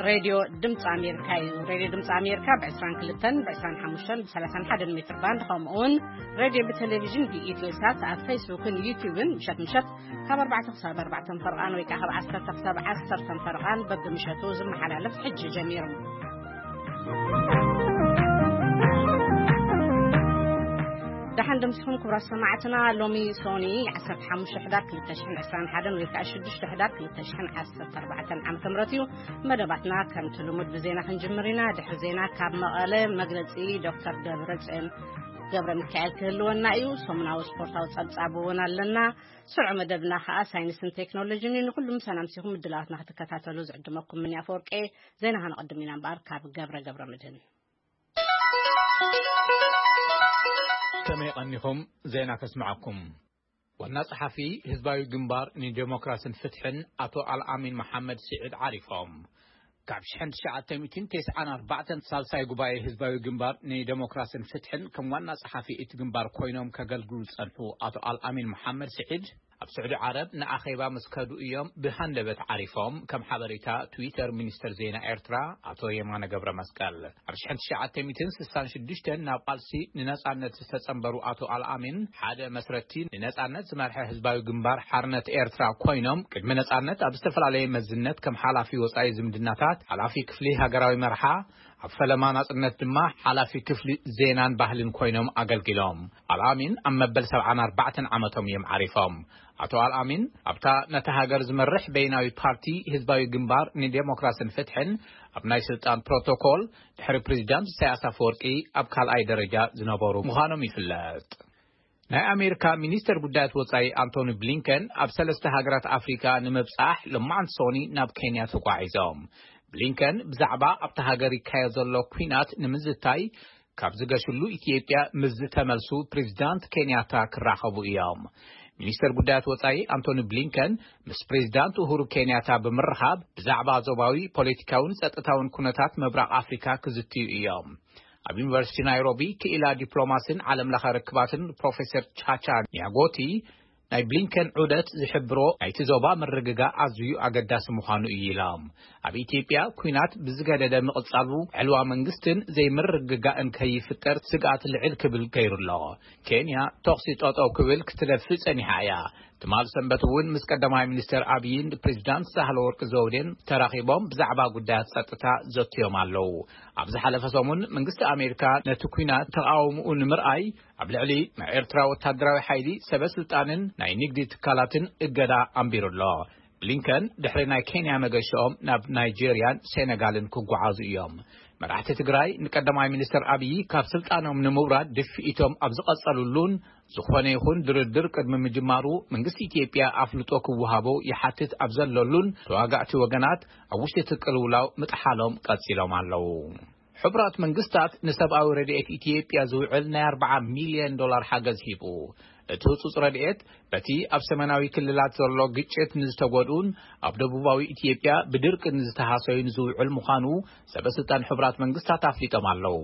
ሬድዮ ድምፂ ኣሜሪካ እዩ። ሬድዮ ድምፂ ኣሜሪካ ብ22፣ ብ25፣ ብ31 ሜትር ባንድ፣ ከምኡውን ሬድዮ ብቴሌቪዥን ብኢትዮ ሳት ኣብ ፌስቡክን ዩቲዩብን ምሸት ምሸት ካብ ኣርባዕተ ክሳብ ኣርባዕተ ፈርቓን ወይ ከዓ ካብ ዓሰርተ ክሳብ ዓሰርተ ፈርቓን በብምሸቱ ዝመሓላለፍ ሕጂ ጀሚሩ። ደሓን ደምስኹም ክቡራት ሰማዕትና። ሎሚ ሶኒ ዓሰርተ ሓሙሽተ ሕዳር ክልተ ሽሕን ዕስራን ሓደን ወይ ከዓ ሽዱሽተ ሕዳር ክልተ ሽሕን ዓሰርተ ኣርባዕተን ዓመተ ምህረት እዩ። መደባትና ከምቲ ልሙድ ብዜና ክንጅምር ኢና። ድሕሪ ዜና ካብ መቐለ መግለጺ ዶክተር ደብረጽዮን ገብረ ሚካኤል ክህልወና እዩ። ሰሙናዊ ስፖርታዊ ጸብጻብ እውን ኣለና። ስሩዕ መደብና ከዓ ሳይንስን ቴክኖሎጂን እዩ። ንኩሉ ምሳና ምሲኹም ምድላዋትና ክትከታተሉ ዝዕድመኩም ምን ኣፈወርቄ። ዜና ከነቐድም ኢና እምበኣር ካብ ገብረ ገብረ ምድህን። ከመይ ቀኒኹም? ዜና ከስምዓኩም። ዋና ጸሓፊ ህዝባዊ ግንባር ንዴሞክራስን ፍትሕን ኣቶ ኣልኣሚን መሓመድ ስዒድ ዓሪፎም። ካብ ሽሕን ትሽዓተ ሚእትን ተስዓን ኣርባዕተን ሳልሳይ ጉባኤ ህዝባዊ ግንባር ንዴሞክራስን ፍትሕን ከም ዋና ጸሓፊ እቲ ግንባር ኮይኖም ከገልግሉ ዝጸንሑ ኣቶ ኣልኣሚን መሓመድ ስዒድ ኣብ ስዑዲ ዓረብ ንኣኼባ ምስ ከዱ እዮም ብሃንደበት ዓሪፎም፣ ከም ሓበሬታ ትዊተር ሚኒስተር ዜና ኤርትራ ኣቶ የማነ ገብረ መስቀል። ኣብ ሽሕን ትሽዓተ ሚእትን ስሳን ሽዱሽተን ናብ ቃልሲ ንነጻነት ዝተጸንበሩ ኣቶ ኣልኣሚን ሓደ መስረቲ ንነጻነት ዝመርሐ ህዝባዊ ግንባር ሓርነት ኤርትራ ኮይኖም፣ ቅድሚ ነጻነት ኣብ ዝተፈላለየ መዝነት ከም ሓላፊ ወጻኢ ዝምድናታት፣ ሓላፊ ክፍሊ ሃገራዊ መርሓ፣ ኣብ ፈለማ ናጽነት ድማ ሓላፊ ክፍሊ ዜናን ባህልን ኮይኖም ኣገልጊሎም። ኣልኣሚን ኣብ መበል ሰብዓን ኣርባዕተን ዓመቶም እዮም ዓሪፎም። ኣቶ ኣልኣሚን ኣብታ ነታ ሃገር ዝመርሕ በይናዊ ፓርቲ ህዝባዊ ግንባር ንዴሞክራስን ፍትሕን ኣብ ናይ ስልጣን ፕሮቶኮል ድሕሪ ፕሬዚዳንት ኢሳያስ ኣፈወርቂ ኣብ ካልኣይ ደረጃ ዝነበሩ ምዃኖም ይፍለጥ። ናይ ኣሜሪካ ሚኒስተር ጉዳያት ወጻኢ ኣንቶኒ ብሊንከን ኣብ ሰለስተ ሃገራት ኣፍሪካ ንምብጻሕ ሎማዓንቲ ሶኒ ናብ ኬንያ ተጓዒዞም። ብሊንከን ብዛዕባ ኣብታ ሃገር ይካየድ ዘሎ ኲናት ንምዝታይ ካብ ዝገሽሉ ኢትዮጵያ ምስ ዝተመልሱ ፕሬዚዳንት ኬንያታ ክራኸቡ እዮም። ሚኒስተር ጉዳያት ወጻኢ ኣንቶኒ ብሊንከን ምስ ፕሬዚዳንት ኡሁሩ ኬንያታ ብምርኻብ ብዛዕባ ዞባዊ ፖለቲካውን ጸጥታውን ኩነታት ምብራቕ ኣፍሪካ ክዝትዩ እዮም። ኣብ ዩኒቨርሲቲ ናይሮቢ ክኢላ ዲፕሎማሲን ዓለም ለኸ ርክባትን ፕሮፌሰር ቻቻ ኒያጎቲ ናይ ብሊንከን ዑደት ዝሕብሮ ናይቲ ዞባ ምርግጋእ ኣዝዩ ኣገዳሲ ምዃኑ እዩ ኢሎም። ኣብ ኢትዮጵያ ኲናት ብዝገደደ ምቕጻሉ ዕልዋ መንግስትን ዘይምርግጋእን ከይፍጠር ስግኣት ልዕል ክብል ገይሩ ኣሎ። ኬንያ ተኹሲ ጠጠው ክብል ክትደፍእ ጸኒሓ እያ። ትማል ሰንበት እውን ምስ ቀዳማይ ሚኒስተር ኣብይን ፕሬዚዳንት ሳህለወርቅ ዘውዴን ተራኺቦም ብዛዕባ ጉዳያት ጸጥታ ዘትዮም ኣለዉ። ኣብ ዝሓለፈ ሰሙን መንግስቲ ኣሜሪካ ነቲ ኲናት ተቓውምኡ ንምርኣይ ኣብ ልዕሊ ናይ ኤርትራ ወታደራዊ ሓይሊ፣ ሰበ ስልጣንን ናይ ንግዲ ትካላትን እገዳ ኣንቢሩ ኣሎ። ብሊንከን ድሕሪ ናይ ኬንያ መገሻኦም ናብ ናይጄርያን ሴነጋልን ክጓዓዙ እዮም። መራሕቲ ትግራይ ንቀዳማይ ሚኒስተር ኣብዪ ካብ ስልጣኖም ንምውራድ ድፍኢቶም ኣብ ዝቐጸሉሉን ዝኾነ ይኹን ድርድር ቅድሚ ምጅማሩ መንግስቲ ኢትዮጵያ ኣፍልጦ ክወሃቦ ይሓትት ኣብ ዘለሉን ተዋጋእቲ ወገናት ኣብ ውሽጢ እቲ ቅልውላው ምጥሓሎም ቀጺሎም ኣለዉ። ሕቡራት መንግስታት ንሰብኣዊ ረድኤት ኢትዮጵያ ዝውዕል ናይ ኣርብዓ ሚልዮን ዶላር ሓገዝ ሂቡ። እቲ ህጹጽ ረድኤት በቲ ኣብ ሰሜናዊ ክልላት ዘሎ ግጭት ንዝተጎድኡን ኣብ ደቡባዊ ኢትዮጵያ ብድርቂ ንዝተሃሰዩን ዝውዕል ምዃኑ ሰበ ስልጣን ሕቡራት መንግስታት ኣፍሊጦም ኣለዉ።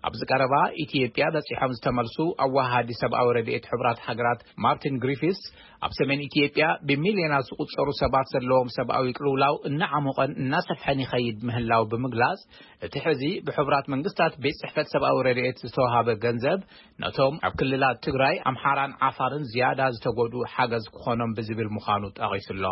ኣብዚ ቀረባ ኢትዮጵያ በጺሖም ዝተመልሱ ኣዋሃዲ ሰብኣዊ ረድኤት ሕቡራት ሃገራት ማርቲን ግሪፊስ ኣብ ሰሜን ኢትዮጵያ ብሚልዮናት ዝቑጸሩ ሰባት ዘለዎም ሰብኣዊ ቅልውላው እናዓሞቐን እናሰፍሐን ይኸይድ ምህላው ብምግላጽ፣ እቲ ሕዚ ብሕቡራት መንግስታት ቤት ጽሕፈት ሰብኣዊ ረድኤት ዝተዋሃበ ገንዘብ ነቶም ኣብ ክልላት ትግራይ፣ ኣምሓራን ዓፋርን ዝያዳ ዝተጎድኡ ሓገዝ ክኾኖም ብዝብል ምዃኑ ጠቒሱ ኣሎ።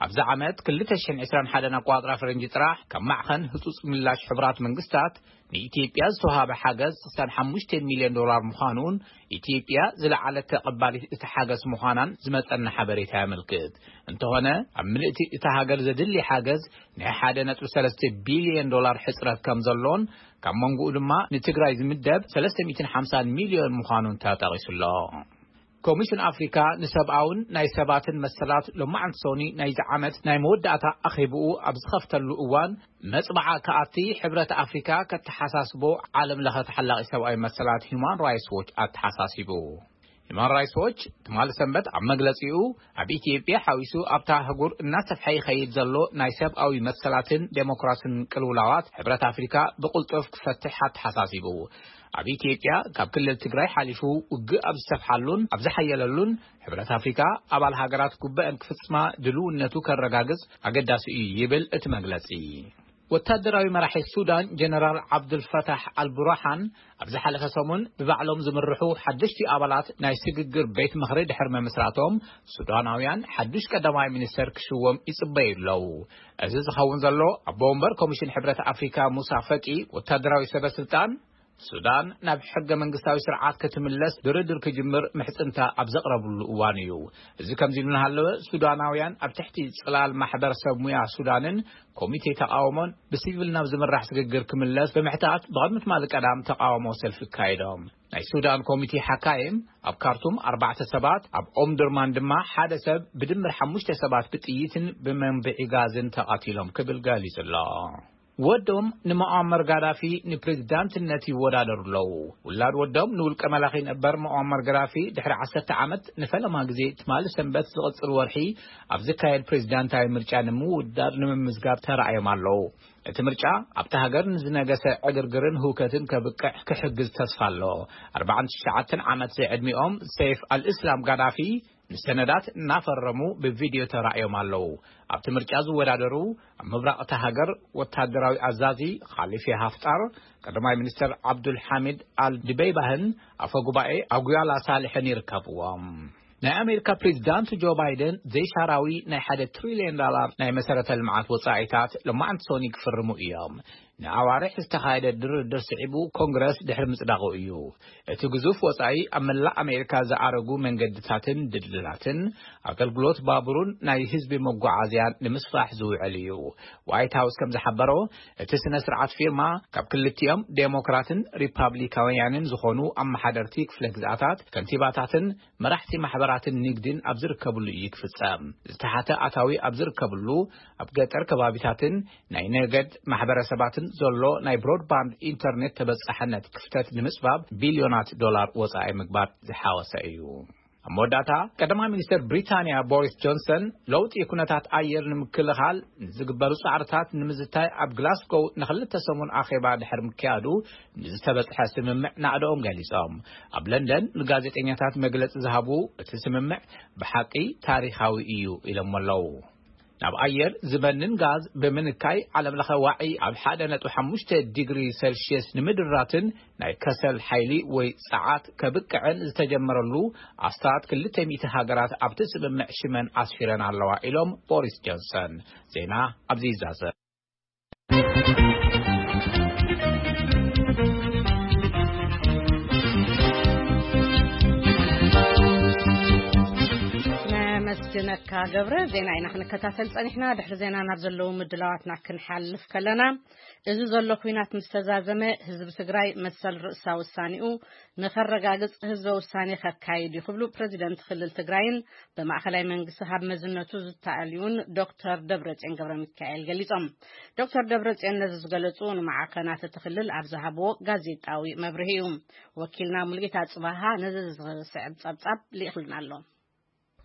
ኣብዚ ዓመት ክልተ ሽሕን ዕስራን ሓደን ኣቆጻጽራ ፈረንጂ ጥራሕ ካብ ማዕኸን ህጹጽ ምላሽ ሕቡራት መንግስታት ንኢትዮጵያ ዝተዋሃበ ሓገዝ ስሳን ሓሙሽተ ሚልዮን ዶላር ምዃኑን ኢትዮጵያ ዝለዓለት ተቐባሊት እቲ ሓገዝ ምዃናን ዝመጸና ሓበሬታ የመልክት። እንተኾነ ኣብ ምልእቲ እታ ሃገር ዘድሊ ሓገዝ ናይ ሓደ ነጥቢ ሰለስተ ቢልዮን ዶላር ሕጽረት ከም ዘሎን ካብ መንጎኡ ድማ ንትግራይ ዝምደብ ሰለስተ ሚእትን ሓምሳን ሚልዮን ምዃኑን ተጠቒሱ ኣሎ። ኮሚሽን ኣፍሪካ ንሰብኣውን ናይ ሰባትን መሰላት ሎማዓንቲ ሶኒ ናይዚ ዓመት ናይ መወዳእታ ኣኼብኡ ኣብ ዝኸፍተሉ እዋን መጽባዓ ክኣቲ ሕብረት ኣፍሪካ ከተሓሳስቦ ዓለም ለኸ ተሓላቒ ሰብኣዊ መሰላት ሂውማን ራይትስ ዎች ኣተሓሳሲቡ። ሂውማን ራይትስ ዎች ትማሊ ሰንበት ኣብ መግለጺኡ ኣብ ኢትዮጵያ ሓዊሱ ኣብታ ኣህጉር እናሰፍሐ ይኸይድ ዘሎ ናይ ሰብኣዊ መሰላትን ዴሞክራስን ቅልውላዋት ሕብረት ኣፍሪካ ብቕልጡፍ ክፈትሕ ኣተሓሳሲቡ። ኣብ ኢትዮጵያ ካብ ክልል ትግራይ ሓሊፉ ውግእ ኣብ ዝሰፍሓሉን ኣብ ዝሓየለሉን ሕብረት ኣፍሪካ ኣባል ሃገራት ጉባኤን ክፍጽማ ድልውነቱ ከረጋግጽ ኣገዳሲ እዩ ይብል እቲ መግለጺ። ወታደራዊ መራሒ ሱዳን ጀነራል ዓብዱልፈታሕ ኣልቡርሃን ኣብ ዝሓለፈ ሰሙን ብባዕሎም ዝምርሑ ሓደሽቲ ኣባላት ናይ ስግግር ቤት ምኽሪ ድሕሪ ምምስራቶም፣ ሱዳናውያን ሓዱሽ ቀዳማይ ሚኒስተር ክሽወም ይጽበዩ ኣለዉ። እዚ ዝኸውን ዘሎ፣ ኣቦ ወንበር ኮሚሽን ሕብረት ኣፍሪካ ሙሳ ፈቂ፣ ወታደራዊ ሰበ ስልጣን ሱዳን ናብ ሕገ መንግስታዊ ስርዓት ክትምለስ ድርድር ክጅምር ምሕጽንታ ኣብ ዘቕረብሉ እዋን እዩ። እዚ ከምዚ ኢሉ እናሃለወ፣ ሱዳናውያን ኣብ ትሕቲ ጽላል ማሕበረሰብ ሙያ ሱዳንን ኮሚቴ ተቃውሞን ብሲቪል ናብ ዝምራሕ ስግግር ክምለስ ብምሕታት፣ ብቕድሚ ትማሊ ቀዳም ተቃውሞ ሰልፊ ኣካይዶም። ናይ ሱዳን ኮሚቴ ሓካይም ኣብ ካርቱም ኣርባዕተ ሰባት፣ ኣብ ኦምዱርማን ድማ ሓደ ሰብ፣ ብድምር ሓሙሽተ ሰባት ብጥይትን ብመንብዒ ጋዝን ተቐቲሎም ክብል ገሊጹ ኣሎ። ወዶም ንመዓመር ጋዳፊ ንፕሬዝዳንትነት ይወዳደሩ ኣለዉ። ውላድ ወዶም ንውልቀ መላኺ ነበር መዓመር ጋዳፊ ድሕሪ ዓሰርተ ዓመት ንፈለማ ግዜ ትማሊ ሰንበት ዝቕጽል ወርሒ ኣብ ዝካየድ ፕሬዝዳንታዊ ምርጫ ንምውዳር ንምምዝጋብ ተራእዮም ኣለዉ። እቲ ምርጫ ኣብታ ሃገር ንዝነገሰ ዕግርግርን ህውከትን ከብቅዕ ክሕግዝ ተስፋ ኣሎ። ኣርባዓን ትሽዓተን ዓመት ዝዕድሚኦም ሰይፍ ኣልእስላም ጋዳፊ ንሰነዳት እናፈረሙ ብቪድዮ ተራእዮም ኣለዉ። ኣብቲ ምርጫ ዝወዳደሩ ኣብ ምብራቕ እታ ሃገር ወታደራዊ ኣዛዚ ኻሊፊ ሃፍጣር፣ ቀዳማይ ሚኒስተር ዓብዱል ሓሚድ ኣል ድበይባህን ኣፈ ጉባኤ ኣጉያላ ሳልሕን ይርከብዎም። ናይ ኣሜሪካ ፕሬዚዳንት ጆ ባይደን ዘይሻራዊ ናይ ሓደ ትሪልዮን ዳላር ናይ መሰረተ ልምዓት ወጻኢታት ሎማዕንቲ ሶኒ ክፍርሙ እዮም። ንኣዋርሕ ዝተኻየደ ድርድር ስዒቡ ኮንግረስ ድሕሪ ምጽዳቑ እዩ። እቲ ግዙፍ ወጻኢ ኣብ መላእ ኣሜሪካ ዝኣረጉ መንገድታትን ድልድላትን፣ ኣገልግሎት ባቡርን ናይ ህዝቢ መጓዓዝያን ንምስፋሕ ዝውዕል እዩ። ዋይት ሃውስ ከም ዝሓበሮ፣ እቲ ስነ ስርዓት ፊርማ ካብ ክልቲኦም ዴሞክራትን ሪፓብሊካውያንን ዝኾኑ ኣመሓደርቲ ክፍለ ግዝኣታት፣ ከንቲባታትን መራሕቲ ማሕበራትን ንግድን ኣብ ዝርከብሉ እዩ ክፍጸም። ዝተሓተ ኣታዊ ኣብ ዝርከብሉ፣ ኣብ ገጠር ከባቢታትን ናይ ነገድ ማሕበረሰባትን ዘሎ ናይ ብሮድባንድ ኢንተርኔት ተበጻሕነት ክፍተት ንምጽባብ ቢልዮናት ዶላር ወጻኢ ምግባር ዝሓወሰ እዩ። ኣብ መወዳእታ፣ ቀዳማይ ሚኒስተር ብሪታንያ ቦሪስ ጆንሰን፣ ለውጢ ኩነታት ኣየር ንምክልኻል ንዝግበሩ ጻዕርታት ንምዝታይ ኣብ ግላስጎው ንኽልተ ሰሙን ኣኼባ ድሕሪ ምክያዱ፣ ንዝተበጽሐ ስምምዕ ናዕደኦም ገሊጾም። ኣብ ለንደን ንጋዜጠኛታት መግለጺ ዝሃቡ፣ እቲ ስምምዕ ብሓቂ ታሪኻዊ እዩ ኢሎሞ ኣለዉ። ናብ ኣየር ዝበንን ጋዝ ብምንካይ፣ ዓለምለኸ ዋዒ ኣብ ሓደ ነጥቢ ሓሙሽተ ዲግሪ ሴልሽየስ ንምድራትን ናይ ከሰል ሓይሊ ወይ ጸዓት ከብቅዕን ዝተጀመረሉ፣ ኣስታት ክልተ ሚእቲ ሃገራት ኣብቲ ስምምዕ ሽመን ኣስፊረን ኣለዋ ኢሎም ቦሪስ ጆንሰን። ዜና ኣብዚ ይዛዘም። ነመስግነካ ገብረ። ዜና ኢና ክንከታተል ጸኒሕና። ድሕሪ ዜና ናብ ዘለዉ ምድላዋትና ክንሓልፍ ከለና፣ እዚ ዘሎ ኲናት ምስ ተዛዘመ፣ ህዝቢ ትግራይ መሰል ርእሳ ውሳኔኡ ንኸረጋግጽ ህዝበ ውሳኔ ከካይድ እዩ ክብሉ ፕረዚደንት ክልል ትግራይን ብማእኸላይ መንግስቲ ሃብ መዝነቱ ዝተኣልዩን ዶክተር ደብረጽዮን ገብረ ሚካኤል ገሊጾም። ዶክተር ደብረጽዮን ነዚ ዝገለጹ ንማዕኸናት እቲ ክልል ኣብ ዝሃብዎ ጋዜጣዊ መብርሂ እዩ። ወኪልና ሙልጌታ ጽባሃ ነዚ ዝስዕብ ጸብጻብ ልኢኽልና ኣሎ።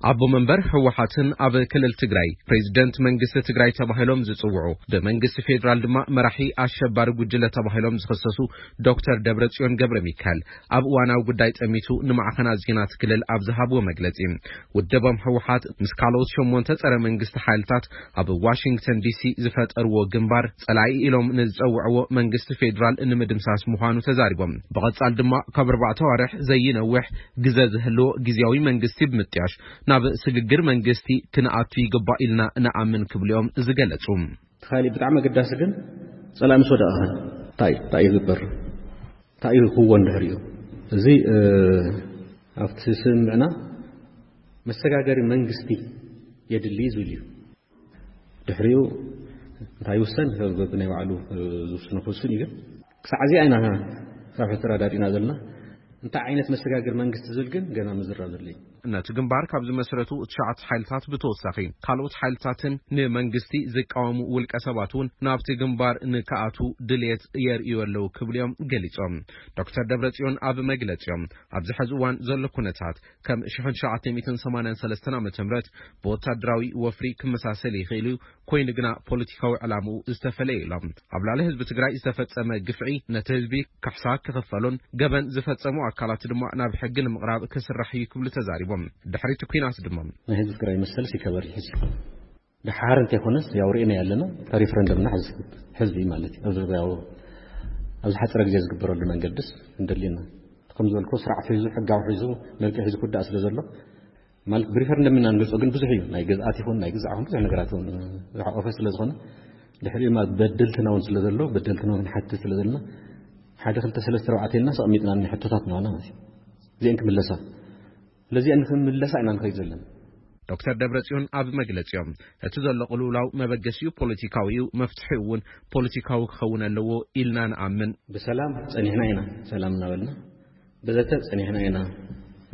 ኣቦ መንበር ህወሓትን ኣብ ክልል ትግራይ ፕሬዚደንት መንግስቲ ትግራይ ተባሂሎም ዝጽውዑ፣ ብመንግስቲ ፌዴራል ድማ መራሒ ኣሸባሪ ጉጅለ ተባሂሎም ዝኽሰሱ ዶክተር ደብረጽዮን ገብረ ሚካኤል፣ ኣብ እዋናዊ ጉዳይ ጠሚቱ ንማዕኸናት ዜናት ክልል ኣብ ዝሃብዎ መግለጺ፣ ውድቦም ህወሓት ምስ ካልኦት ሸሞንተ ጸረ መንግስቲ ሓይልታት ኣብ ዋሽንግተን ዲሲ ዝፈጠርዎ ግንባር፣ ጸላኢ ኢሎም ንዝጸውዕዎ መንግስቲ ፌዴራል ንምድምሳስ ምዃኑ ተዛሪቦም። ብቐጻል ድማ ካብ ኣርባዕተ ኣዋርሕ ዘይነውሕ ግዘ ዝህልዎ ግዝያዊ መንግስቲ ብምጥያሽ፣ ናብ ስግግር መንግስቲ ክንኣቱ ይግባእ ኢልና ንኣምን ክብሉ እዮም ዝገለጹ። እቲ ካሊእ ብጣዕሚ ኣገዳሲ ግን፣ ጸላኢ ምስ ወደቐ ኸ እንታይ፣ እንታይ ይግበር? እንታይ እዩ ክወን ድሕሪኡ? እዚ፣ እ፣ ኣብቲ ስምምዕና መሰጋገሪ መንግስቲ የድሊ ዝብል እዩ። ድሕሪኡ እንታይ ይውሰን? ብናይ ባዕሉ፣ እ፣ ዝውስኖ ክውስን እዩ። ግን ክሳዕ እዚኣ ኢና ካብ ሕጂ ተረዳዲእና ዘለና። እንታይ ዓይነት መሰጋገሪ መንግስቲ ዝብል ግን ገና ምዝራብ ዘድልዮ። ነቲ ግንባር ካብ ዝመስረቱ ትሽዓተ ሓይልታት ብተወሳኺ፣ ካልኦት ሓይልታትን ንመንግስቲ ዝቃወሙ ውልቀ ሰባት እውን ናብቲ ግንባር ንክኣቱ ድልየት የርእዩ ኣለዉ ክብሉ እዮም ገሊጾም። ዶክተር ደብረጽዮን ኣብ መግለጺኦም፣ ኣብዚ ሕዚ እዋን ዘሎ ኩነታት ከም ሽሕን ትሽዓተ ሚእትን ሰማንያን ሰለስተን ዓመተ ምህረት ብወታደራዊ ወፍሪ ክመሳሰል ይኽእል እዩ፣ ኮይኑ ግና ፖለቲካዊ ዕላምኡ ዝተፈለየ ኢሎም። ኣብ ልዕሊ ህዝቢ ትግራይ ዝተፈጸመ ግፍዒ ነቲ ህዝቢ ካሕሳ ክኽፈሉን ገበን ዝፈጸሙ ኣካላት ድማ ናብ ሕጊ ንምቕራብ ክስራሕ እዩ ክብሉ ተዛሪቦም። ድሕሪቲ ኲናት ድማ ናይ ህዝቢ ትግራይ መሰልስ ይከበር እዩ። ድሓር እንተይኮነስ ያው ርኢና ያለና፣ እታ ሪፈረንደምና ሕዚ ሕዚ ማለት እዩ። ኣብዚ ያው ኣብዚ ሓፂረ ግዜ ዝግበረሉ መንገድስ እንደሊና፣ ከም ዝበልኮ ስርዓት ሒዙ፣ ሕጋዊ ሒዙ፣ መልክዕ ሒዙ ክውዳእ ስለ ዘሎ፣ ማለት ብሪፈረንደም ኢና ንገልጾ፣ ግን ብዙሕ እዩ። ናይ ግዝኣት ይኹን ናይ ግዛዕ ይኹን ብዙሕ ነገራት እውን ዝሓቆፈ ስለ ዝኾነ፣ ድሕሪኡ ማለት በደልትና እውን ስለ ዘሎ፣ በደልትና እውን ንሓትት ስለ ዘለና፣ ሓደ ክልተ ሰለስተ ኣርባዕተ ኢልና ኣቐሚጥና እኒ ሕቶታት ንዋና ማለት እዩ። እዚአን ክምለሳ፣ ስለዚአን ክምለሳ ኢና ንኸይድ ዘለና። ዶክተር ደብረጽዮን ኣብ መግለጺኦም፣ እቲ ዘሎ ቅልውላው መበገሲኡ ፖለቲካዊ እዩ፣ መፍትሒኡ እውን ፖለቲካዊ ክኸውን ኣለዎ ኢልና ንኣምን። ብሰላም ጸኒሕና ኢና፣ ሰላም እናበልና ብዘተ ጸኒሕና ኢና፣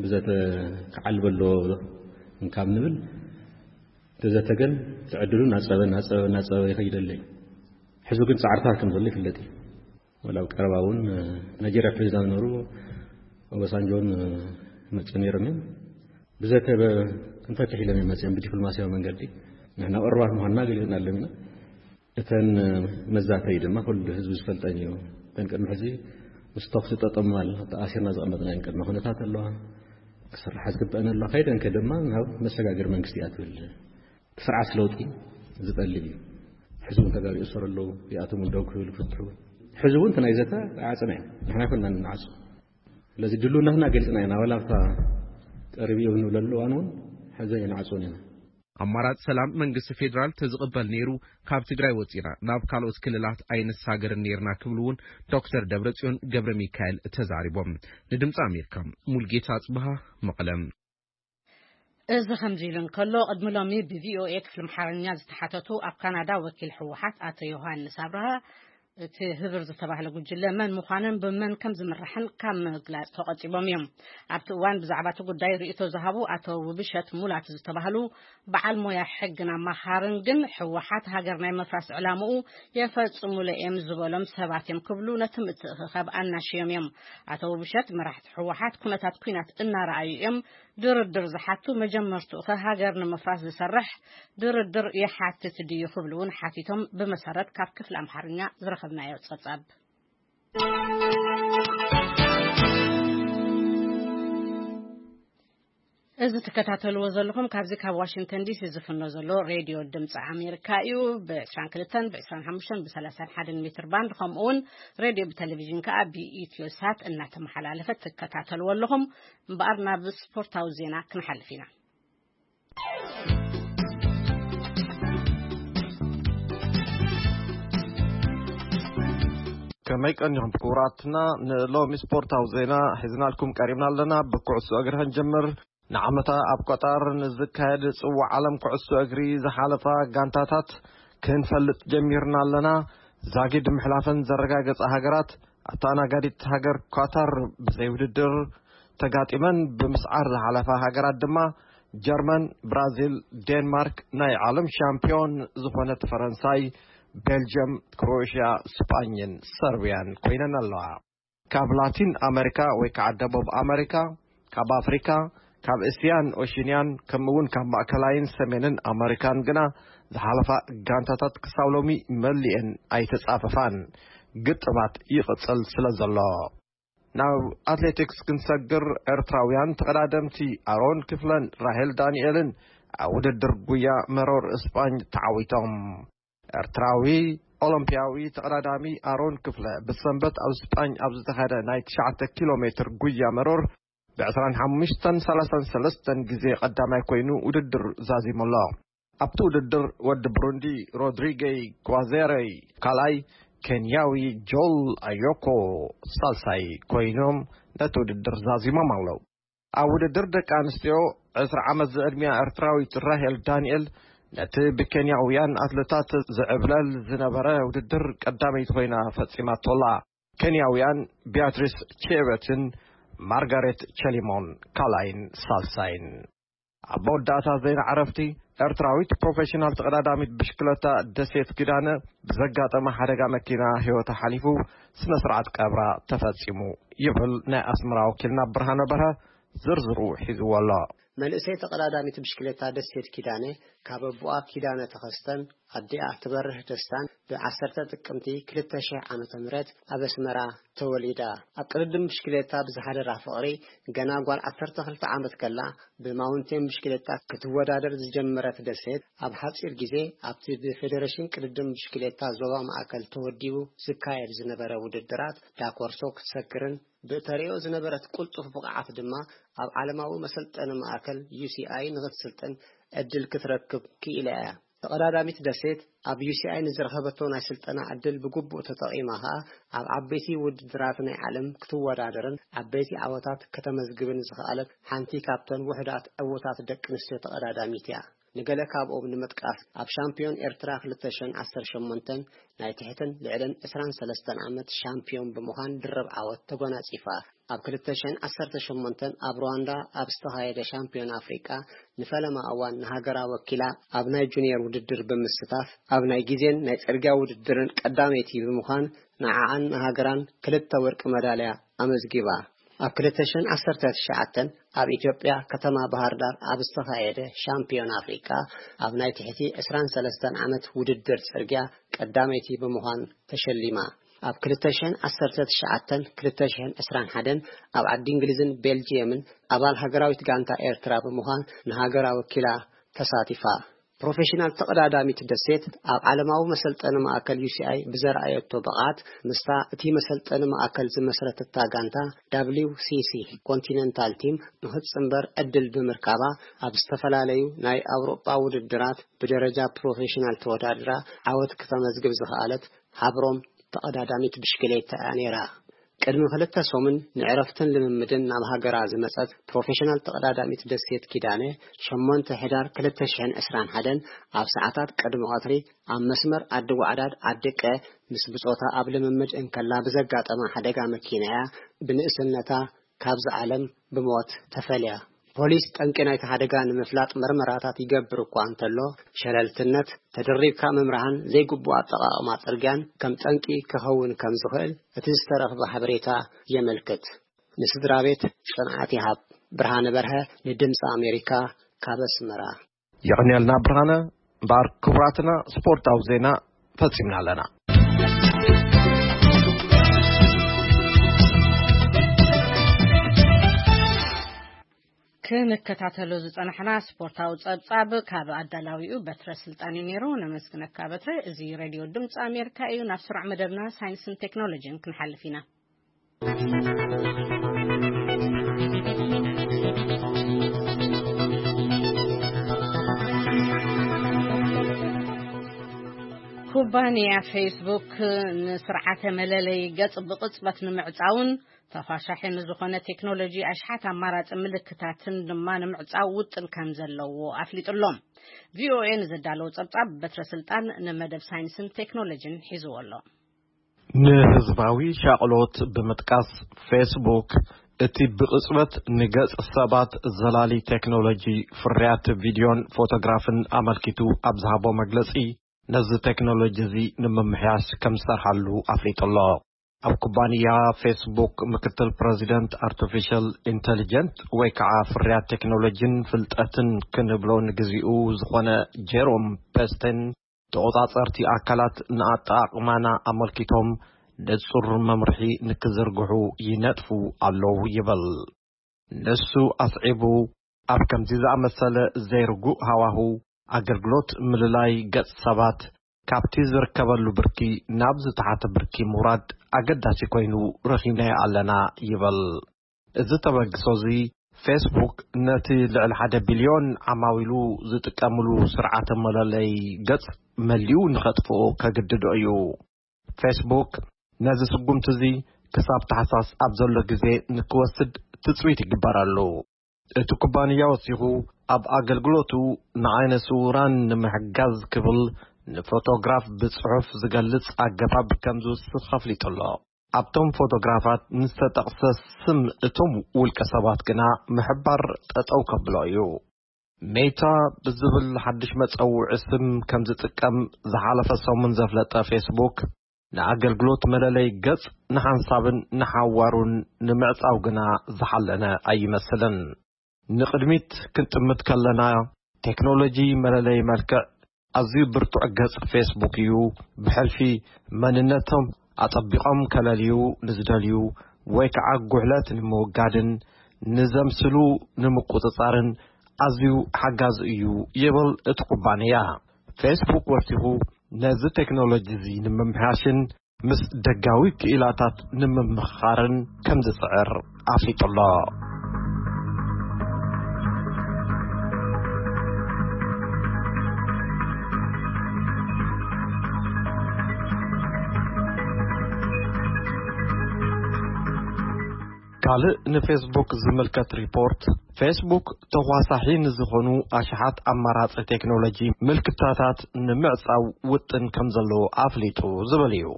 ብዘተ ክዓልብ ኣለዎ እንካብ ንብል፣ እቲ ዘተ ግን ትዕድሉ እናጸበ፣ እናጸበ፣ እናጸበ ይኸይድ ኣሎ እዩ። ሕዚ ግን ጻዕርታት ከም ዘሎ ይፍለጥ እዩ። ወላ ኣብ ቀረባ እውን፣ እ፣ ናይጄርያ ፕሬዚዳንት ዝነበሩ ኦባሳንጆን፣ እ፣ መጽኡ ነይሮም እዮም። ብዘተ በ-፣ ክንፈትሕ ኢሎም እዮም መጽኦም ብዲፕሎማሲያዊ መንገዲ። ንሕና ቅሩባት ምዃንና ገሊጽና ኣለና ኢና። እተን፣ እ፣ መዛተዪ ድማ ኩሉ ህዝቢ ዝፈልጠን እዩ። እተን ቅድሚ ሕዚ ምስ ተኹሲ ጠጠው ምባል ተኣሲርና ዘቐመጥናየን ቅድመ ኩነታት ኣለዋ። ክስርሓ ዝግበአን ኣለዋ። ከይደንከ ድማ ናብ መሰጋገሪ መንግስቲ እያ ትብል። እቲ ስርዓት ለውጢ ዝጠልብ እዩ። ሕዚ እውን ተጋሩ ይእሰሩ ኣለዉ። ይኣቶም እውን ደው ክብል ፍትሑ። ሕዚ እውን እቲ ናይ ዘተ ኣይዓጸና እዩ። ንሕና ኣይኮንና ንዓጹ። ስለዚ ድልውነትና ገሊጽና ኢና። ዋላ ኣብታ ቀሪቡ እዩ ንብለሉ እዋን እውን ሕዚ ኣይንዓጽዎን ኢና። ኣማራጺ ሰላም መንግስቲ ፌዴራል ተዝቕበል ነይሩ፣ ካብ ትግራይ ወጺና ናብ ካልኦት ክልላት ኣይንሳገርን ነይርና ክብሉ እውን ዶክተር ደብረጽዮን ገብረ ሚካኤል ተዛሪቦም። ንድምፂ ኣሜሪካ ሙልጌታ ኣጽብሃ፣ መቐለ። እዚ ከምዚ ኢሉ እንከሎ፣ ቅድሚ ሎሚ ብቪኦኤ ክፍሊ ኣምሓርኛ ዝተሓተቱ ኣብ ካናዳ ወኪል ህወሓት ኣቶ ዮሃንስ ኣብርሃ፣ እቲ ህብር ዝተባህለ ጉጅለ መን ምዃንን ብመን ከም ዝምራሕን ካብ ምግላጽ ተቖጢቦም እዮም። ኣብቲ እዋን ብዛዕባ እቲ ጉዳይ ርእይቶ ዝሃቡ ኣቶ ውብሸት ሙላት ዝተባህሉ በዓል ሞያ ሕግን ኣማኻርን ግን፣ ህወሓት ሃገር ናይ ምፍራስ ዕላምኡ የፈጽሙሉ እዮም ዝበሎም ሰባት እዮም ክብሉ ነቲ ምትእኽኻብ ኣናሽዮም እዮም። ኣቶ ውብሸት፣ መራሕቲ ህወሓት ኩነታት ኲናት እናረኣዩ እዮም ድርድር ዝሓቱ፣ መጀመርትኡ ኸ ሃገር ንምፍራስ ዝሰርሕ ድርድር ይሓትት ድዩ ክብሉ እውን ሓቲቶም፣ ብመሰረት ካብ ክፍሊ ኣምሓርኛ ዝረኸብናዮ ጸብጻብ። እዚ ትከታተልዎ ዘለኹም ካብዚ ካብ ዋሽንግተን ዲሲ ዝፍኖ ዘሎ ሬድዮ ድምፂ ኣሜሪካ እዩ። ብ22፣ ብ25፣ ብ31 ሜትር ባንድ፣ ከምኡ እውን ሬድዮ ብቴሌቪዥን ከዓ ብኢትዮ ሳት እናተመሓላለፈ ትከታተልዎ ኣለኹም። እምበኣር ናብ ስፖርታዊ ዜና ክንሓልፍ ኢና። ከመይ ቀኒኹም ክቡራትና? ንሎሚ ስፖርታዊ ዜና ሒዝናልኩም ቀሪብና ኣለና። ብኩዕሶ እግሪ ክንጀምር። ንዓመታ ኣብ ቀጣር ንዝካየድ ጽዋዕ ዓለም ኩዕሶ እግሪ ዝሓለፋ ጋንታታት ክንፈልጥ ጀሚርና ኣለና። ዛጊድ ምሕላፈን ዘረጋገጻ ሃገራት፣ ኣተኣናጋዲት ሃገር ኳታር ብዘይ ውድድር ተጋጢመን ብምስዓር ዝሓለፋ ሃገራት ድማ ጀርመን፣ ብራዚል፣ ዴንማርክ፣ ናይ ዓለም ሻምፒዮን ዝኾነት ፈረንሳይ፣ ቤልጅየም፣ ክሮኤሽያ፣ ስጳኝን ሰርብያን ኮይነን ኣለዋ። ካብ ላቲን ኣመሪካ ወይ ከዓ ደቡብ ኣመሪካ፣ ካብ ኣፍሪካ፣ ካብ እስያን ኦሽንያን፣ ከምኡ እውን ካብ ማእከላይን ሰሜንን ኣመሪካን ግና ዝሓለፋ ጋንታታት ክሳብ ሎሚ መሊኤን ኣይተጻፈፋን። ግጥማት ይቕጽል ስለ ዘሎ። ናብ ኣትሌቲክስ ክንሰግር፣ ኤርትራውያን ተቐዳደምቲ ኣሮን ክፍለን ራሄል ዳንኤልን ኣብ ውድድር ጉያ መሮር እስጳኝ ተዓዊቶም። ኤርትራዊ ኦሎምፒያዊ ተቐዳዳሚ ኣሮን ክፍለ ብሰንበት ኣብ ስጳኝ ኣብ ዝተኻየደ ናይ 9 ኪሎ ሜትር ጉያ መሮር ብ25ን 33ን ግዜ ቀዳማይ ኮይኑ ውድድር ዛዚሙ ኣሎ። ኣብቲ ውድድር ወዲ ብሩንዲ ሮድሪገይ ጓዜረይ ካልኣይ፣ ኬንያዊ ጆል ኣዮኮ ሳልሳይ ኮይኖም ነቲ ውድድር ዛዚሞም ኣለዉ። ኣብ ውድድር ደቂ ኣንስትዮ ዕስራ ዓመት ዝዕድሚያ ኤርትራዊት ራሄል ዳንኤል ነቲ ብኬንያውያን ኣትለታት ዝዕብለል ዝነበረ ውድድር ቀዳመይቲ ኮይና ፈጺማቶ ኣላ። ኬንያውያን ቢያትሪስ ቼበትን ማርጋሬት ቸሊሞን ካልኣይን ሳልሳይን። ኣብ መወዳእታ ዜና ዕረፍቲ፣ ኤርትራዊት ፕሮፌሽናል ተቐዳዳሚት ብሽክለታ ደሴት ኪዳነ ብዘጋጠመ ሓደጋ መኪና ህይወታ ሓሊፉ፣ ስነ ስርዓት ቀብራ ተፈጺሙ ይብል ናይ ኣስመራ ወኪልና ብርሃነ በርሀ። ዝርዝሩ ሒዝዎ ኣሎ። መንእሰይ ተቐዳዳሚት ብሽክሌታ ደሴት ኪዳነ፣ ካብ ኣቦኣ ኪዳነ ተኸስተን ኣዲኣ ትበርህ ደስታን ብ10 ጥቅምቲ 2000 ዓ.ም ኣብ ኣስመራ ተወሊዳ። ኣብ ቅድድም ብሽክሌታ ብዝሓደራ ፍቕሪ፣ ገና ጓል 12 ዓመት ከላ ብማውንቴን ብሽክሌታ ክትወዳደር ዝጀመረት ደሴት፣ ኣብ ሓጺር ግዜ ኣብቲ ብፌደሬሽን ቅድድም ብሽክሌታ ዞባ ማእከል ተወዲቡ ዝካየድ ዝነበረ ውድድራት ዳኮርሶ ክትሰግርን፣ ብእተርእዮ ዝነበረት ቅልጡፍ ብቕዓት ድማ ኣብ ዓለማዊ መሰልጠኒ ማእከል ዩ ሲ ኣይ ንኽትስልጥን ዕድል ክትረክብ ክኢላ እያ። ተቐዳዳሚት ደሴት ኣብ ዩ ሲ ኣይ ንዝረኸበቶ ናይ ስልጠና ዕድል ብግቡእ ተጠቒማ ኸኣ፣ ኣብ ዓበይቲ ውድድራት ናይ ዓለም ክትወዳደርን ዓበይቲ ዓወታት ከተመዝግብን ዝኸኣለት ሓንቲ ካብተን ውሑዳት ዕዉታት ደቂ ኣንስትዮ ተቐዳዳሚት እያ። ንገለ ካብኦም ንምጥቃስ፣ ኣብ ሻምፒዮን ኤርትራ 2018 ናይ ትሕትን ልዕልን 23 ዓመት ሻምፒዮን ብምዃን ድርብ ዓወት ተጎናጺፋ። ኣብ 2018 ኣብ ሩዋንዳ ኣብ ዝተኻየደ ሻምፒዮን ኣፍሪቃ ንፈለማ እዋን ንሃገራ ወኪላ ኣብ ናይ ጁኒየር ውድድር ብምስታፍ፣ ኣብ ናይ ግዜን ናይ ጽርግያ ውድድርን ቀዳመይቲ ብምዃን፣ ንዓኣን ንሃገራን ክልተ ወርቂ መዳልያ ኣመዝጊባ። ኣብ 2019 ኣብ ኢትዮጵያ ከተማ ባህር ዳር ኣብ ዝተኻየደ ሻምፒዮን ኣፍሪቃ ኣብ ናይ ትሕቲ 23 ዓመት ውድድር ጽርግያ ቀዳመይቲ ብምዃን ተሸሊማ። ኣብ 2019 2021 ኣብ ዓዲ እንግሊዝን ቤልጂየምን ኣባል ሃገራዊት ጋንታ ኤርትራ ብምዃን ንሃገራ ወኪላ ተሳቲፋ። ፕሮፌሽናል ተቐዳዳሚት ደሴት ኣብ ዓለማዊ መሰልጠኒ ማእከል ዩ ሲ ኣይ ብዘርኣየቶ ብቕዓት፣ ምስታ እቲ መሰልጠኒ ማእከል ዝመስረተታ ጋንታ ደብሊው ሲ ሲ ኮንቲነንታል ቲም ንኽትጽንበር ዕድል ብምርካባ፣ ኣብ ዝተፈላለዩ ናይ ኣውሮጳ ውድድራት ብደረጃ ፕሮፌሽናል ተወዳድራ ዓወት ክተመዝግብ ዝኸኣለት ሃብሮም ተቐዳዳሚት ብሽክሌታ እያ ነይራ። ቅድሚ ክልተ ሰሙን ንዕረፍትን ልምምድን ናብ ሃገራ ዝመጸት ፕሮፌሽናል ተቐዳዳሚት ደሴት ኪዳነ፣ 8 ሕዳር 2021 ኣብ ሰዓታት ቅድሚ ቀትሪ ኣብ መስመር ዓዲ ጓዕዳድ ዓዲ ቀ ምስ ብጾታ ኣብ ልምምድ እንከላ ብዘጋጠማ ሓደጋ መኪና እያ ብንእስነታ ካብዚ ዓለም ብሞት ተፈልያ። ፖሊስ ጠንቂ ናይቲ ሓደጋ ንምፍላጥ መርመራታት ይገብር እኳ እንተሎ፣ ሸለልትነት፣ ተደሪብካ ምምራህን ዘይግቡእ ኣጠቓቕማ ጽርግያን ከም ጠንቂ ክኸውን ከም ዝኽእል እቲ ዝተረኽበ ሓበሬታ የመልክት። ንስድራ ቤት ጽንዓት ይሃብ። ብርሃነ በርሀ ንድምፂ ኣሜሪካ ካብ ኣስመራ። የቐንየልና ብርሃነ። እምበኣር ክቡራትና፣ ስፖርታዊ ዜና ፈጺምና ኣለና። ክንከታተሎ ዝጸናሕና ስፖርታዊ ጸብጻብ ካብ ኣዳላዊኡ በትረ ስልጣን እዩ ነይሩ። ነመስግነካ በትረ። እዚ ሬድዮ ድምፂ ኣሜሪካ እዩ። ናብ ስሩዕ መደብና ሳይንስን ቴክኖሎጂን ክንሓልፍ ኢና። ኩባንያ ፌስቡክ ንስርዓተ መለለይ ገጽ ብቕጽበት ንምዕጻውን ተዃሻሒ ንዝኾነ ቴክኖሎጂ ኣሽሓት ኣማራጺ ምልክታትን ድማ ንምዕጻው ውጥን ከም ዘለዎ ኣፍሊጡ ኣሎ። ቪ ኦ ኤ ንዘዳለዎ ጸብጻብ በትረ ስልጣን ንመደብ ሳይንስን ቴክኖሎጂን ሒዝዎ ኣሎ። ንህዝባዊ ሻቕሎት ብምጥቃስ፣ ፌስቡክ እቲ ብቕጽበት ንገጽ ሰባት ዘላሊ ቴክኖሎጂ ፍርያት ቪድዮን ፎቶግራፍን ኣመልኪቱ ኣብ ዝሃቦ መግለጺ፣ ነዚ ቴክኖሎጂ እዚ ንምምሕያሽ ከም ዝሰርሓሉ ኣፍሊጡ ኣሎ። ኣብ ኩባንያ ፌስቡክ ምክትል ፕረዚደንት ኣርቲፊሻል ኢንተሊጀንት ወይ ከዓ ፍርያት ቴክኖሎጂን ፍልጠትን ክንብሎ ንግዚኡ ዝኾነ ጀሮም ፐስተን፣ ተቖጻጸርቲ ኣካላት ንኣጠቓቕማና ኣመልኪቶም ንጹር መምርሒ ንክዝርግሑ ይነጥፉ ኣለዉ ይብል። ንሱ ኣስዒቡ፣ ኣብ ከምዚ ዝኣመሰለ ዘይርጉእ ሃዋሁ፣ ኣገልግሎት ምልላይ ገጽ ሰባት ካብቲ ዝርከበሉ ብርኪ ናብ ዝተሓተ ብርኪ ምውራድ ኣገዳሲ ኮይኑ ረኺብናዮ ኣለና ይብል። እዚ ተበግሶ እዚ፣ ፌስቡክ ነቲ ልዕሊ ሓደ ቢልዮን ዓማዊሉ ዝጥቀምሉ ስርዓተ መለለይ ገጽ መሊኡ ንኸጥፍኦ ከግድዶ እዩ። ፌስቡክ ነዚ ስጉምቲ እዚ ክሳብ ታሕሳስ ኣብ ዘሎ ግዜ ንክወስድ ትጽቢት ይግበረሉ። እቲ ኩባንያ ወሲኹ፣ ኣብ ኣገልግሎቱ ንዓይነ ስውራን ንምሕጋዝ ክብል ንፎቶግራፍ ብጽሑፍ ዝገልጽ ኣገባብ ከም ዝውስኽ ኣፍሊጡ ኣሎ። ኣብቶም ፎቶግራፋት ንዝተጠቕሰ ስም እቶም ውልቀ ሰባት ግና ምሕባር ጠጠው ከብሎ እዩ። ሜታ ብዝብል ሓድሽ መጸውዒ ስም ከም ዝጥቀም ዝሓለፈ ሰሙን ዘፍለጠ ፌስቡክ፣ ንኣገልግሎት መለለይ ገጽ ንሓንሳብን ንሓዋሩን ንምዕጻው ግና ዝሓለነ ኣይመስልን። ንቕድሚት ክንጥምት ከለና፣ ቴክኖሎጂ መለለዪ መልክዕ ኣዝዩ ብርቱዕ ገጽ ፌስቡክ እዩ። ብሕልፊ መንነቶም ኣጸቢቖም ከለልዩ ንዝደልዩ ወይ ከዓ ጉሕለት ንምውጋድን ንዘምስሉ ንምቁጽጻርን ኣዝዩ ሓጋዚ እዩ ይብል እቲ ኩባንያ። ፌስቡክ ወሲኹ ነዚ ቴክኖሎጂ እዚ ንምምሕያሽን ምስ ደጋዊ ክኢላታት ንምምኽኻርን ከም ዝጽዕር ኣፍሊጡ ኣሎ። ካልእ ንፌስቡክ ዝምልከት ሪፖርት፣ ፌስቡክ ተኳሳሒ ንዝኾኑ ኣሽሓት ኣማራጺ ቴክኖሎጂ ምልክታታት ንምዕጻው ውጥን ከም ዘለዎ ኣፍሊጡ ዝብል እዩ።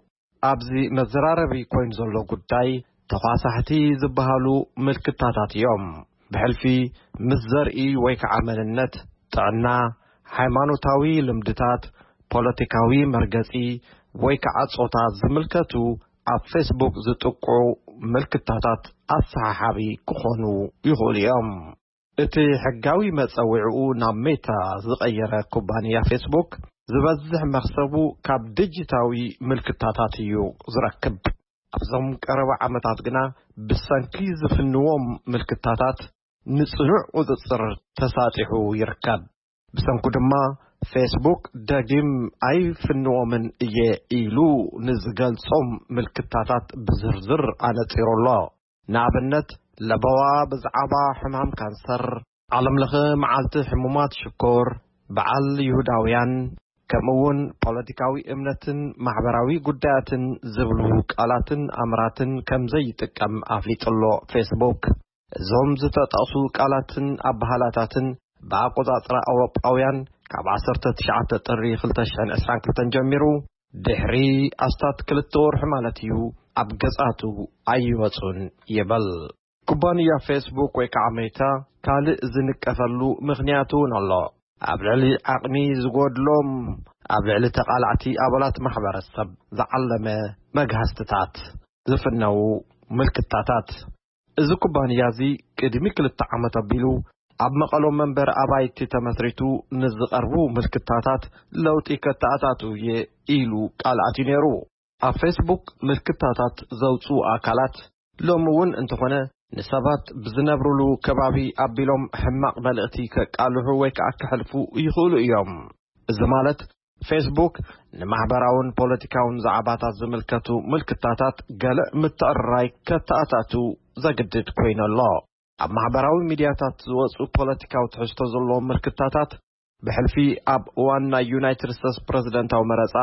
ኣብዚ መዘራረቢ ኮይኑ ዘሎ ጉዳይ ተኳሳሕቲ ዝበሃሉ ምልክታታት እዮም። ብሕልፊ ምስ ዘርኢ ወይ ከዓ መንነት፣ ጥዕና፣ ሃይማኖታዊ ልምድታት፣ ፖለቲካዊ መርገጺ ወይ ከዓ ጾታ ዝምልከቱ ኣብ ፌስቡክ ዝጥቅዑ ምልክታታት ኣሰሓሓቢ ክኾኑ ይኽእሉ እዮም። እቲ ሕጋዊ መጸውዒኡ ናብ ሜታ ዝቐየረ ኩባንያ ፌስቡክ ዝበዝሕ መኽሰቡ ካብ ዲጂታዊ ምልክታታት እዩ ዝረክብ። ኣብዞም ቀረባ ዓመታት ግና ብሰንኪ ዝፍንዎም ምልክታታት ንጽኑዕ ቁጽጽር ተሳጢሑ ይርከብ። ብሰንኩ ድማ ፌስቡክ ደጊም ኣይፍንዎምን እየ ኢሉ ንዝገልጾም ምልክታታት ብዝርዝር ኣነጺሩ ኣሎ። ንኣብነት ለበዋ ብዛዕባ ሕማም ካንሰር፣ ዓለምለኸ መዓልቲ ሕሙማት ሽኮር፣ በዓል ይሁዳውያን፣ ከምኡውን ፖለቲካዊ እምነትን ማሕበራዊ ጉዳያትን ዝብሉ ቃላትን ኣምራትን ከም ዘይጥቀም ኣፍሊጡ ኣሎ ፌስቡክ። እዞም ዝተጠቕሱ ቃላትን ኣበሃላታትን ብኣቆጻጽራ ኣውሮጳውያን ካብ ዓሰርተ ትሽዓተ ጥሪ ክልተ ሽሕን ዕስራን ክልተን ጀሚሩ ድሕሪ ኣስታት ክልተ ወርሒ ማለት እዩ ኣብ ገጻቱ ኣይወጹን ይብል። ኩባንያ ፌስቡክ ወይ ከዓ ሜታ ካልእ ዝንቀፈሉ ምኽንያት እውን ኣሎ። ኣብ ልዕሊ ዓቕሚ ዝጎድሎም፣ ኣብ ልዕሊ ተቓላዕቲ ኣባላት ማሕበረሰብ ዝዓለመ መግሃስትታት ዝፍነዉ ምልክታታት። እዚ ኩባንያ እዚ ቅድሚ ክልተ ዓመት ኣቢሉ ኣብ መቐሎ መንበሪ ኣባይቲ ተመስሪቱ ንዝቐርቡ ምልክታታት ለውጢ ከተኣታቱ እየ ኢሉ ቃል ኣትዩ ነይሩ። ኣብ ፌስቡክ ምልክታታት ዘውፅኡ ኣካላት ሎሚ እውን እንተኾነ ንሰባት ብዝነብሩሉ ከባቢ ኣቢሎም ሕማቕ መልእኽቲ ከቃልሑ ወይ ከዓ ከሕልፉ ይኽእሉ እዮም። እዚ ማለት ፌስቡክ ንማሕበራውን ፖለቲካውን ዛዕባታት ዝምልከቱ ምልክታታት ገለ ምትዕርራይ ከተኣታቱ ዘግድድ ኮይኑ ኣሎ። ኣብ ማሕበራዊ ሚድያታት ዝወፁ ፖለቲካዊ ትሕዝቶ ዘለዎም ምልክታታት ብሕልፊ ኣብ እዋን ናይ ዩናይትድ ስቴትስ ፕረዚደንታዊ መረፃ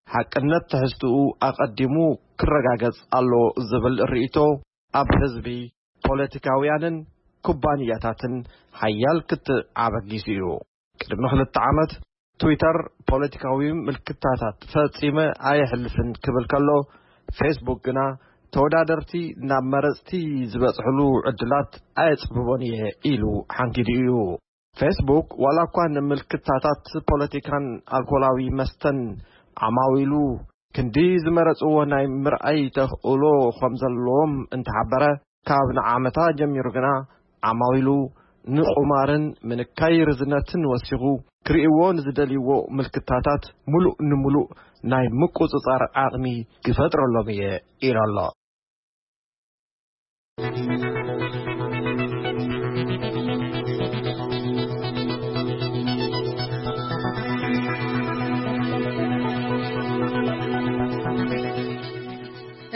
ሓቅነት ትሕዝትኡ ኣቐዲሙ ክረጋገጽ ኣሎ ዝብል ርእይቶ ኣብ ህዝቢ፣ ፖለቲካውያንን ኩባንያታትን ሓያል ክትዕ ኣበጊሱ እዩ። ቅድሚ ክልተ ዓመት ትዊተር ፖለቲካዊ ምልክታታት ፈጺመ ኣየሕልፍን ክብል ከሎ፣ ፌስቡክ ግና ተወዳደርቲ ናብ መረጽቲ ዝበጽሕሉ ዕድላት ኣየጽብቦን እየ ኢሉ ሓንጊዱ እዩ። ፌስቡክ ዋላ እኳ ንምልክታታት ፖለቲካን ኣልኮላዊ መስተን ዓማዊሉ ክንዲ ዝመረጽዎ ናይ ምርኣይ ተኽእሎ ከም ዘለዎም እንተሓበረ፣ ካብ ንዓመታ ጀሚሩ ግና ዓማዊሉ ንቁማርን ምንካይ ርዝነትን ወሲኹ ክርእይዎ ንዝደልይዎ ምልክታታት ምሉእ ንምሉእ ናይ ምቁጽጻር ዓቕሚ ክፈጥረሎም እየ ኢሉ ኣሎ።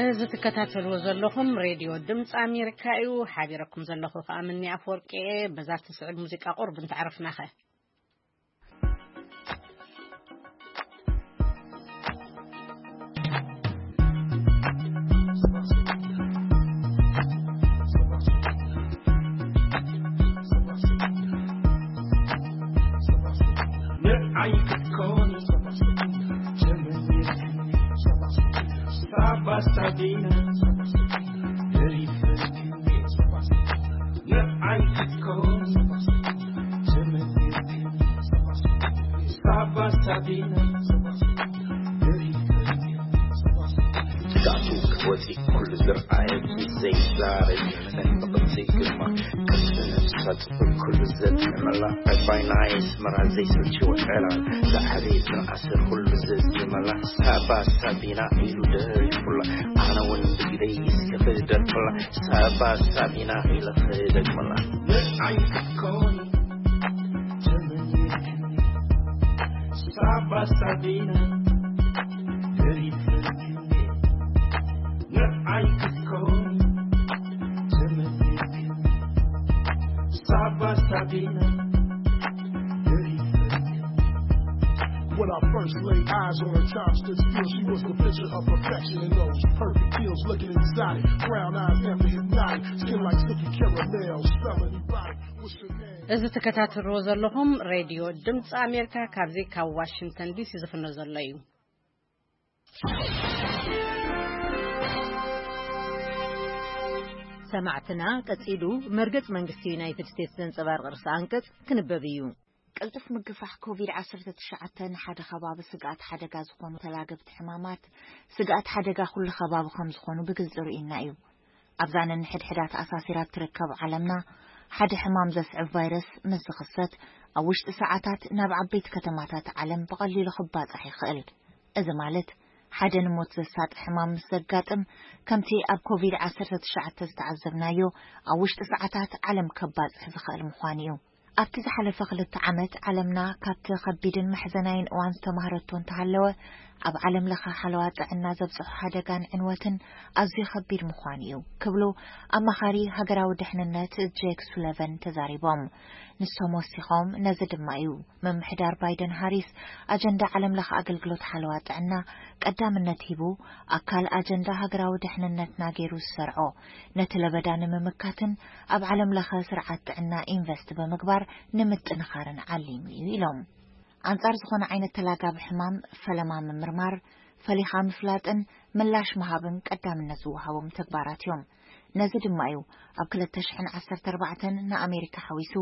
እዚ ትከታተልዎ ዘለኹም ሬድዮ ድምፂ ኣሜሪካ እዩ። ሓቢረኩም ዘለኹ ከዓ ምኒ ኣፈወርቂ እየ። በዛ ትስዕብ ሙዚቃ ቁርብ እንተዕረፍናኸ። ወፂ ኩሉ ዝርኣየ ዘይዛረብ፣ ነንብቕቲ ግርማ ቅርሲ ነብሳ ፅፍር ኩሉ ዘጥዕመላ፣ ዕባይ ናይ ኣስመራ ዘይሰልችዎ ዕላል፣ ዝዓበየ ዝነኣሰ ኩሉ ዘዝመላ፣ ሳባ ሳቢና ኢሉ ደሪፉላ፣ ኣነ እውን ብግደይ እስከ ክደርፍላ፣ ሳባ ሳቢና ኢለ ክደግመላ። ንዓይ ክትኮኒ ተመኒትኒ፣ ሳባ ሳቢና ደሪፍልኪ፣ ንዓይ ክትኮኒ ተመኒትኒ፣ ሳባ ሳቢና ደሪፍልኪ። When I first laid eyes on her, time stood still. She was the picture of perfection in those perfect heels, looking exotic. Brown eyes, never hypnotic. Skin like silky caramel, smelling erotic. What's your name? እዚ ትከታተልዎ ዘለኹም ሬድዮ ድምፂ ኣሜሪካ ካብዚ ካብ ዋሽንግተን ዲሲ ዝፍኖ ዘሎ እዩ። ሰማዕትና፣ ቀጺሉ መርገጽ መንግስቲ ዩናይትድ ስቴትስ ዘንጸባርቕ ርእሰ ኣንቀጽ ክንበብ እዩ። ቅልጡፍ ምግፋሕ ኮቪድ ዓሰርተ ትሽዓተ ንሓደ ከባቢ ስግኣት ሓደጋ ዝኾኑ ተላገብቲ ሕማማት፣ ስግኣት ሓደጋ ኩሉ ከባቢ ከም ዝኾኑ ብግልጺ ርኢና እዩ። ኣብዛ ነንሕድሕዳ ተኣሳሲራ እትርከብ ዓለምና፣ ሓደ ሕማም ዘስዕብ ቫይረስ ምስ ዝኽሰት፣ ኣብ ውሽጢ ሰዓታት ናብ ዓበይቲ ከተማታት ዓለም ብቐሊሉ ክባጻሕ ይኽእል። እዚ ማለት፣ ሓደ ንሞት ዘሳጢ ሕማም ምስ ዘጋጥም፣ ከምቲ ኣብ ኮቪድ ዓሰርተ ትሽዓተ ዝተዓዘብናዮ፣ ኣብ ውሽጢ ሰዓታት ዓለም ከባጽሕ ዝኽእል ምዃኑ እዩ። ኣብቲ ዝሓለፈ ክልተ ዓመት፣ ዓለምና ካብቲ ከቢድን መሕዘናይን እዋን ዝተማህረቶ እንተሃለወ፣ ኣብ ዓለም ለኸ ሓለዋ ጥዕና ዘብጽሖ ሓደጋን ዕንወትን ኣዝዩ ከቢድ ምዃኑ እዩ ክብሉ ኣማኻሪ ሃገራዊ ድሕንነት ጄክ ሱለቨን ተዛሪቦም። ንሶም ወሲኾም፣ ነዚ ድማ እዩ ምምሕዳር ባይደን ሃሪስ ኣጀንዳ ዓለም ለኸ ኣገልግሎት ሓለዋ ጥዕና ቀዳምነት ሂቡ፣ ኣካል ኣጀንዳ ሃገራዊ ድሕንነትና ገይሩ ዝሰርዖ። ነቲ ለበዳ ንምምካትን ኣብ ዓለም ለኸ ስርዓት ጥዕና ኢንቨስት ብምግባር ንምጥንኻርን ዓሊሙ እዩ ኢሎም። ኣንጻር ዝኾነ ዓይነት ተላጋቢ ሕማም ፈለማ ምምርማር፣ ፈሊኻ ምፍላጥን ምላሽ ምሃብን ቀዳምነት ዝወሃቦም ተግባራት እዮም። ነዚ ድማ እዩ ኣብ ክልተ ሽሕን ዓሰርተ ኣርባዕተን ንኣሜሪካ ሓዊሱ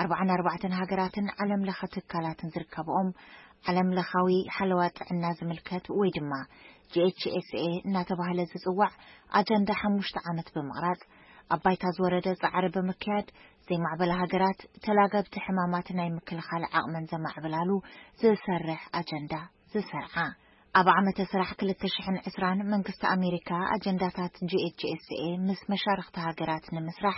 ኣርባዓን ኣርባዕተን ሃገራትን ዓለም ለኸ ትካላትን ዝርከብኦም ዓለም ለኻዊ ሓለዋ ጥዕና ዝምልከት ወይ ድማ ጂ ኤች ኤስ ኤ እናተባህለ ዝጽዋዕ ኣጀንዳ ሓሙሽተ ዓመት ብምቕራጽ፣ ኣብ ባይታ ዝወረደ ጻዕሪ ብምክያድ፣ ዘይማዕበላ ሃገራት ተላገብቲ ሕማማት ናይ ምክልኻል ዓቕመን ዘማዕብላሉ ዝሰርሕ ኣጀንዳ ዝሰርዓ። ኣብ ዓመተ ስራሕ ክልተ ሽሕን ዕስራን መንግስቲ ኣሜሪካ ኣጀንዳታት ጂ ኤች ኤስ ኤ ምስ መሻርኽቲ ሃገራት ንምስራሕ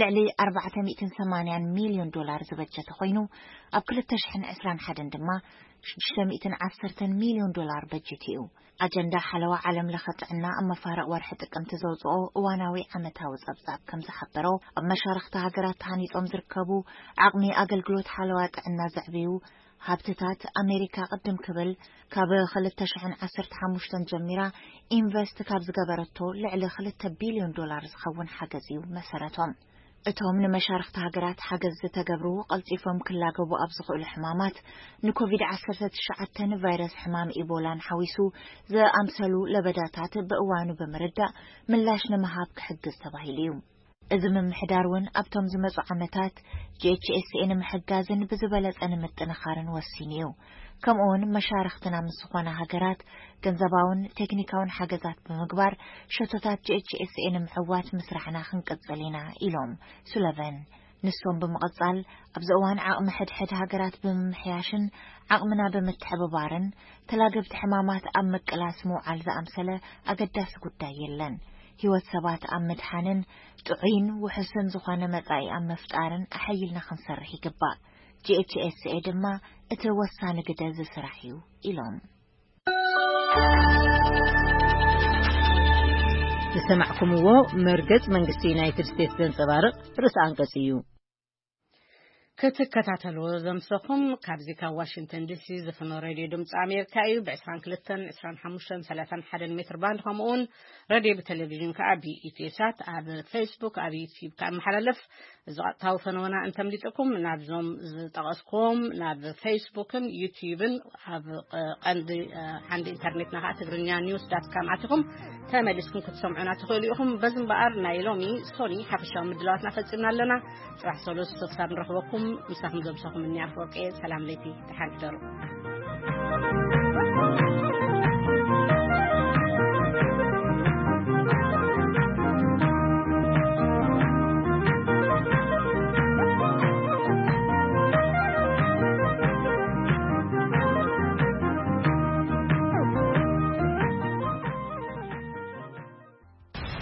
ልዕሊ ኣርባዕተ ሚእትን ሰማንያን ሚልዮን ዶላር ዝበጀተ ኮይኑ፣ ኣብ ክልተ ሽሕን ዕስራን ሓደን ድማ ሽዱሽተ ሚእትን ዓሰርተን ሚልዮን ዶላር በጀት እዩ። ኣጀንዳ ሓለዋ ዓለም ለኸ ጥዕና ኣብ መፋርቕ ወርሒ ጥቅምቲ ዘውፅኦ እዋናዊ ዓመታዊ ጸብጻብ ከም ዝሓበሮ፣ ኣብ መሻርኽቲ ሃገራት ተሃኒጾም ዝርከቡ ዓቕሚ ኣገልግሎት ሓለዋ ጥዕና ዘዕብዩ ሃብትታት ኣሜሪካ ቅድም ክብል ካብ ክልተ ሽሕን ዓሰርተ ሓሙሽተን ጀሚራ ኢንቨስት ካብ ዝገበረቶ ልዕሊ ክልተ ቢልዮን ዶላር ዝኸውን ሓገዝ እዩ መሰረቶም። እቶም ንመሻርኽቲ ሃገራት ሓገዝ ዝተገብሩ ቀልጢፎም ክላገቡ ኣብ ዝኽእሉ ሕማማት ንኮቪድ ዓሰርተ ትሽዓተ ቫይረስ ሕማም ኢቦላን ሓዊሱ ዝኣምሰሉ ለበዳታት ብእዋኑ ብምርዳእ ምላሽ ንምሃብ ክሕግዝ ተባሂሉ እዩ። እዚ ምምሕዳር እውን ኣብቶም ዝመጹ ዓመታት ጂ ኤች ኤስ ኤ ንምሕጋዝን ብዝበለጸ ንምጥንኻርን ወሲኑ እዩ። ከምኡውን መሻርኽትና ምስ ዝኾና ሃገራት ገንዘባውን ቴክኒካውን ሓገዛት ብምግባር ሸቶታት ጂ ኤች ኤስ ኤ ንምዕዋት ምስራሕና ክንቅጽል ኢና ኢሎም ሱለቨን። ንሶም ብምቕጻል ኣብዚ እዋን ዓቕሚ ሕድሕድ ሃገራት ብምምሕያሽን ዓቕምና ብምትሕብባርን ተላገብቲ ሕማማት ኣብ ምቅላስ ምውዓል ዝኣምሰለ ኣገዳሲ ጉዳይ የለን። ህይወት ሰባት ኣብ ምድሓንን ጥዑይን ውሑስን ዝኾነ መጻኢ ኣብ ምፍጣርን ኣሐይልና ክንሰርሕ ይግባእ። ጂ ኤች ኤስ ኤ ድማ እቲ ወሳኒ ግደ ዝስራሕ እዩ ኢሎም። ዝሰማዕኩምዎ መርገጽ መንግስቲ ዩናይትድ ስቴትስ ዘንጸባርቕ ርእሰ ኣንቀጽ እዩ። ክትከታተልዎ ዘምሰኹም ካብዚ ካብ ዋሽንግተን ዲሲ ዝፍኖ ሬድዮ ድምፂ ኣሜሪካ እዩ። ብ22፣ 25፣ 31 ሜትር ባንድ ከምኡውን ሬድዮ ብቴሌቪዥን ከዓ ብኢትዮ ሳት ኣብ ፌስቡክ ኣብ ዩቲዩብ ከዓ መሓላለፍ እዚ ቀጥታዊ ፈነወና እንተምሊጥኩም ናብዞም ዝጠቐስኩዎም ናብ ፌስቡክን ዩቲዩብን ኣብ ቀንዲ ዓንዲ ኢንተርኔትና ከዓ ትግርኛ ኒውስ ዳት ካም ኣቲኹም ተመሊስኩም ክትሰምዑና ትኽእሉ ኢኹም። በዚ እምበኣር ናይ ሎሚ ሶኒ ሓፈሻዊ ምድላዋትና ፈፂምና ኣለና። ጽባሕ ሰሉስ ክሳብ ንረኽበኩም ምሳኹም ዘምሰኹም እኒ ኣፍወርቄ ሰላም ለይቲ ደሓን ሕደሩ።